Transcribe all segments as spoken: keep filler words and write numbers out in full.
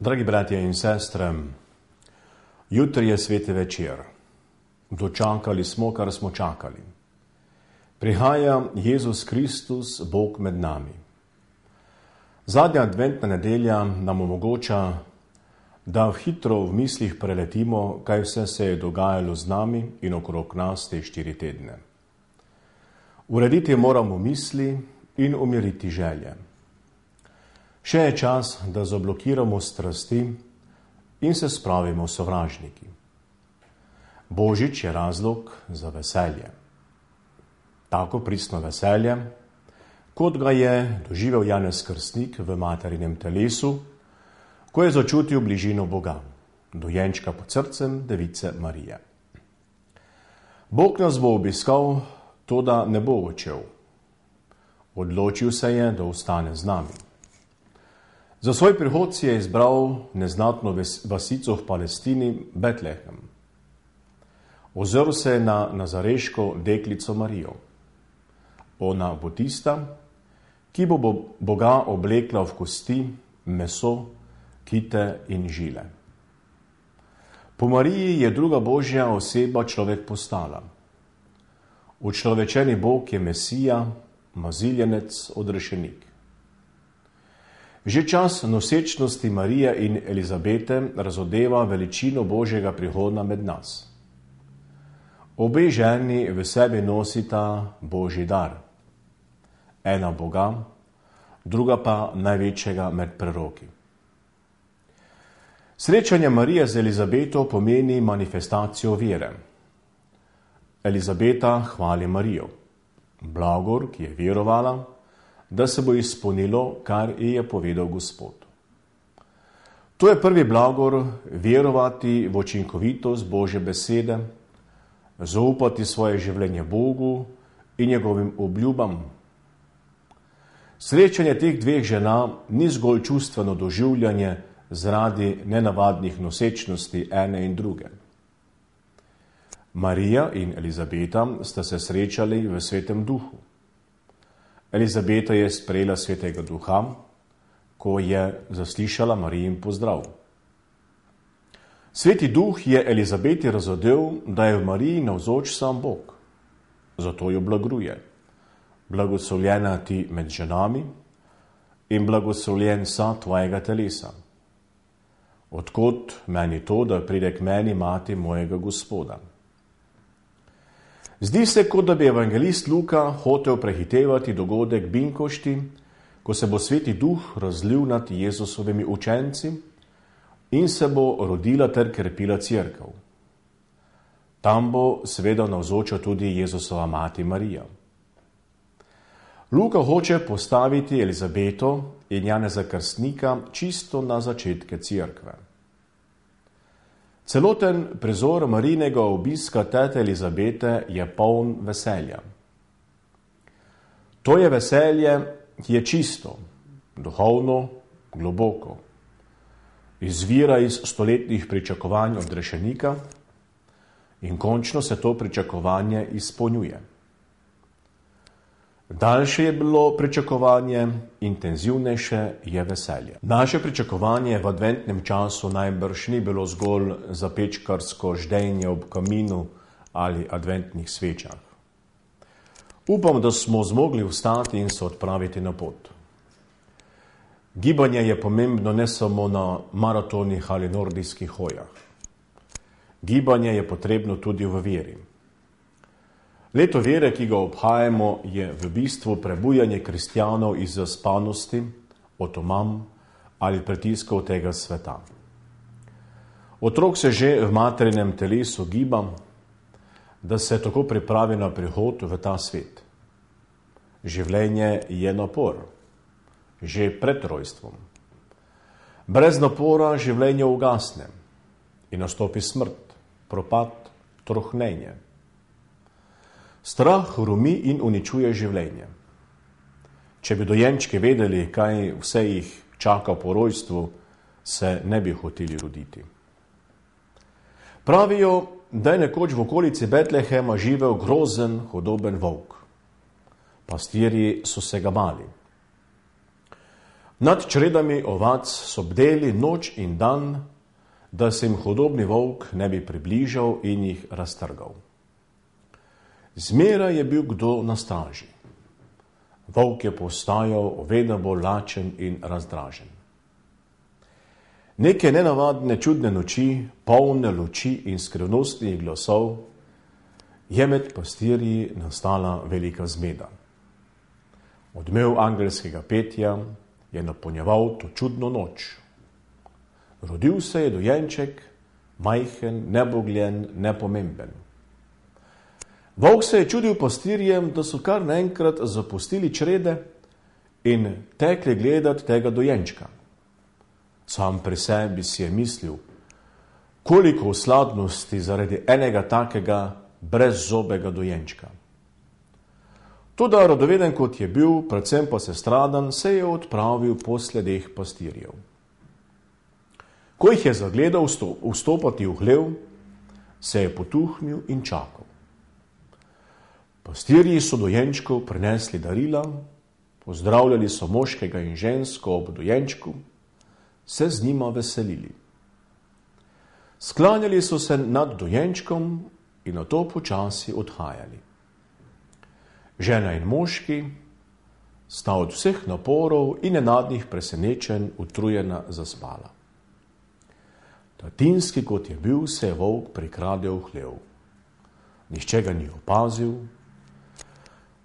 Dragi bratje in sestre, jutri je sveti večer. Dočakali smo, kar smo čakali. Prihaja Jezus Kristus, Bog med nami. Zadnja adventna nedelja nam omogoča, da hitro v mislih preletimo, kaj vse se je dogajalo z nami in okrog nas te štiri tedne. Urediti moramo misli in umiriti želje. Še je čas, da zablokiramo strasti in se spravimo sovražniki. Božič je razlog za veselje. Tako pristno veselje, kot ga je doživel Janez Krstnik v materinem telesu, ko je začutil bližino Boga, dojenčka pod srcem device Marije. Bog nas bo obiskal, toda ne bo odšel. Odločil se je, da ostane z nami. Za svoj prihod si je izbral neznatno vasico v Palestini, Betlehem. Ozrl se je na nazareško deklico Marijo. Ona bo tista, ki bo Boga oblekla v kosti, meso, kite in žile. Po Mariji je druga božja oseba človek postala. Učlovečeni Bog je Mesija, maziljenec, odrešenik. Že čas nosečnosti Marije in Elizabete razodeva veličino Božjega prihoda med nas. Obe ženi v sebi nosita Božji dar. Ena Boga, druga pa največjega med preroki. Srečanje Marije z Elizabeto pomeni manifestacijo vere. Elizabeta hvali Marijo, blagor, ki je verovala, da se bo izpolnilo, kar ji je povedal Gospod. To je prvi blagor, verovati v učinkovitost Božje besede, zaupati svoje življenje Bogu in njegovim obljubam. Srečanje teh dveh žena ni zgolj čustveno doživljanje zaradi nenavadnih nosečnosti ene in druge. Marija in Elizabeta sta se srečali v Svetem duhu. Elizabeta je sprejela Svetega duha, ko je zaslišala Marijin pozdrav. Sveti duh je Elizabeti razodel, da je v Mariji navzoč sam Bog. Zato jo blagruje. Blagoslovljena ti med ženami in blagoslovljen sa tvojega telesa. Odkot meni to, da pride k meni mati mojega Gospoda? Zdi se, kot da bi evangelist Luka hotel prehitevati dogodek Binkošti, ko se bo Sveti duh razlil nad Jezusovimi učenci in se bo rodila ter krepila cerkev. Tam bo seveda navzoča tudi Jezusova mati Marija. Luka hoče postaviti Elizabeto in Janeza Krstnika čisto na začetke cerkve. Celoten prizor Marijinega obiska tete Elizabete je poln veselja. To je veselje, ki je čisto, duhovno, globoko. Izvira iz stoletnih pričakovanj odrešenika in končno se to pričakovanje izpolnjuje. Daljše je bilo pričakovanje, intenzivnejše je veselje. Naše pričakovanje v adventnem času najbrž ni bilo zgolj zapečkarsko ždenje ob kaminu ali adventnih svečah. Upam, da smo zmogli vstati in se odpraviti na pot. Gibanje je pomembno ne samo na maratonih ali nordijskih hojah. Gibanje je potrebno tudi v veri. Leto vere, ki ga obhajamo, je v bistvu prebujanje kristjanov iz zaspanosti, otomam ali pritiskov tega sveta. Otrok se že v materinem telesu giba, da se tako pripravi na prihod v ta svet. Življenje je napor, že pred rojstvom. Brez napora življenje ugasne in nastopi smrt, propad, trohnenje. Strah hrumi in uničuje življenje. Če bi dojenčki vedeli, kaj vse jih čaka po rojstvu, se ne bi hoteli roditi. Pravijo, da je nekoč v okolici Betlehema živel grozen, hudoben volk. Pastirji so se ga bali. Nad čredami ovac so bdeli noč in dan, da se jim hudobni volk ne bi približal in jih raztrgal. Zmeraj je bil kdo na straži. Volk je postajal vedno bolj lačen in razdražen. Neke nenavadne čudne noči, polne luči in skrivnostnih glasov, je med pastirji nastala velika zmeda. Odmev angelskega petja je napolnjeval to čudno noč. Rodil se je dojenček, majhen, nebogljen, nepomemben. Volk se je čudil pastirjem, da so kar naenkrat zapustili črede in tekli gledati tega dojenčka. Sam pri sebi si je mislil, koliko osladnosti zaradi enega takega brezzobega dojenčka. Toda radoveden kot je bil, predvsem pa sestradan, se je odpravil po sledeh pastirjev. Ko jih je zagledal vstopati v hlev, se je potuhnil in čakal. Pastirji so dojenčkov prinesli darila, pozdravljali so moškega in žensko ob dojenčku, se z njima veselili. Sklanjali so se nad dojenčkom in nato počasi odhajali. Žena in moški sta od vseh naporov in nenadnih presenečenj utrujena zaspala. Tatinski, kot je bil, se je volk prikradel v hlev. Nihče ga ni opazil,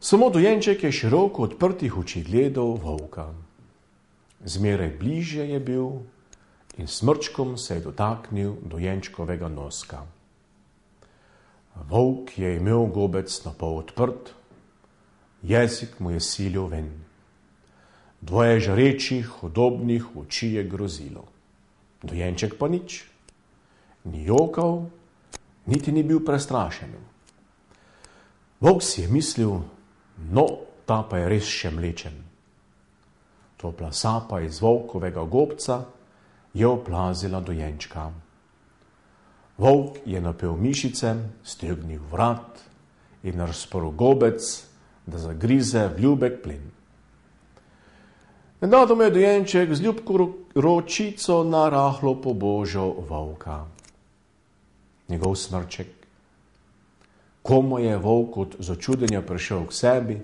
samo dojenček je široko odprtih oči gledal volka. Zmeraj bliže je bil in smrčkom se je dotaknil dojenčkovega noska. Volk je imel gobec napol odprt, jezik mu je silil ven. Dvoje žarečih, hudobnih oči je grozilo. Dojenček pa nič. Ni jokal, niti ni bil prestrašen. Volk si je mislil, no, ta pa je res še mlečen. Topla sapa iz volkovega gobca je oplazila dojenčka. Volk je napel mišice, stegnil vrat in razprl gobec, da zagrize v ljubek plen. Nenadoma je dojenček z ljubko ročico narahlo pobožal volka. Njegov smrček. Komu je volk od začudenja prišel k sebi,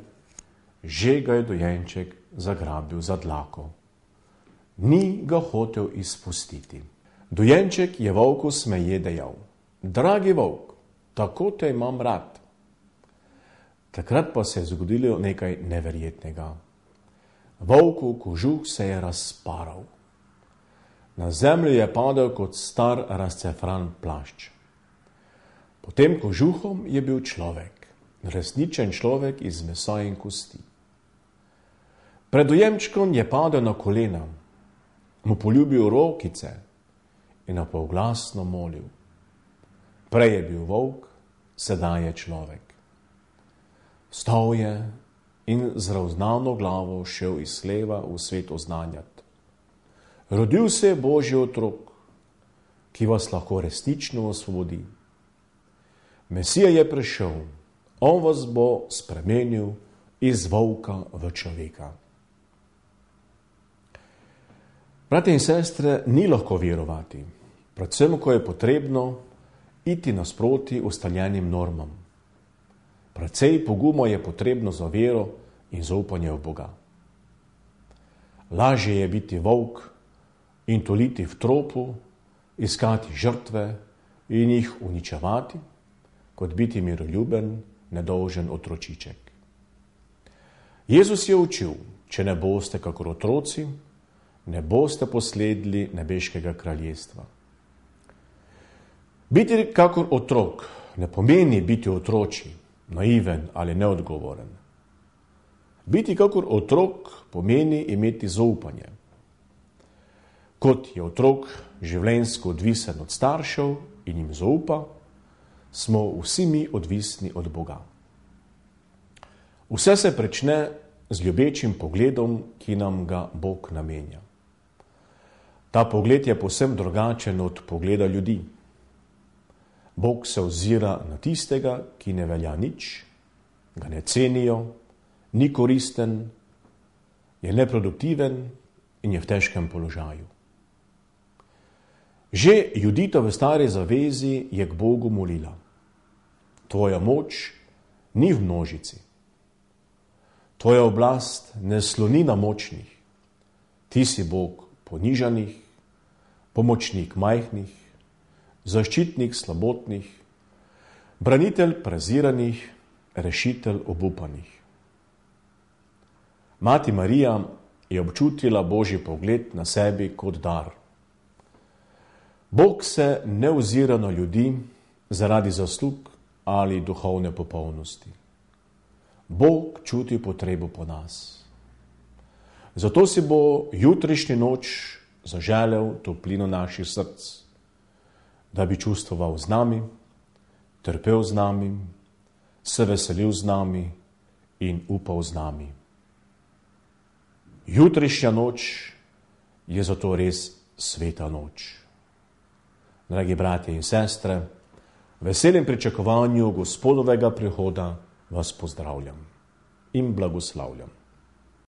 že ga je dojenček zagrabil za dlako. Ni ga hotel izpustiti. Dojenček je volku smeje dejal: Dragi volk, tako te imam rad. Takrat pa se je zgodilo nekaj neverjetnega. Volkov kožuh se je razparal. Na zemljo je padel kot star razcefran plašč. Pod tem kožuhom je bil človek, resničen človek iz mesa in kosti. Pred dojenčkom je padel na kolena, mu poljubil rokice in napolglasno molil. Prej je bil volk, sedaj je človek. Vstal je in z ravznano glavo šel iz hleva v svet oznanjati. Rodil se je Božji otrok, ki vas lahko resnično osvobodi. Mesija je prišel, on vas bo spremenil iz volka v človeka. Brate in sestre, ni lahko verovati, predvsem, ko je potrebno iti nasproti ustaljenim normam. Precej poguma je potrebno za vero in zaupanje v Boga. Lažje je biti volk in toliti v tropu, iskati žrtve in jih uničevati, kot biti miroljuben, nedolžen otročiček. Jezus je učil, če ne boste kakor otroci, ne boste posledili nebeškega kraljestva. Biti kakor otrok ne pomeni biti otroči, naiven ali neodgovoren. Biti kakor otrok pomeni imeti zaupanje. Kot je otrok življenjsko odvisen od staršev in jim zaupa, smo vsi mi odvisni od Boga. Vse se prične z ljubečim pogledom, ki nam ga Bog namenja. Ta pogled je povsem drugačen od pogleda ljudi. Bog se ozira na tistega, ki ne velja nič, ga ne cenijo, ni koristen, je neproduktiven in je v težkem položaju. Že Judita v stari zavezi je k Bogu molila. Tvoja moč ni v množici. Tvoja oblast ne sloni na močnih. Ti si Bog ponižanih, pomočnik majhnih, zaščitnik slabotnih, branitelj preziranih, rešitelj obupanih. Mati Marija je občutila Božji pogled na sebi kot dar. Bog se ne ozira na ljudi zaradi zaslug ali duhovne popolnosti. Bog čuti potrebo po nas. Zato si bo jutrišnji noč zaželel toplino naših src, da bi čustvoval z nami, trpel z nami, se veselil z nami in upal z nami. Jutrišnja noč je zato res sveta noč. Dragi bratje in sestre, v veselem pričakovanju Gospodovega prihoda vas pozdravljam in blagoslavljam.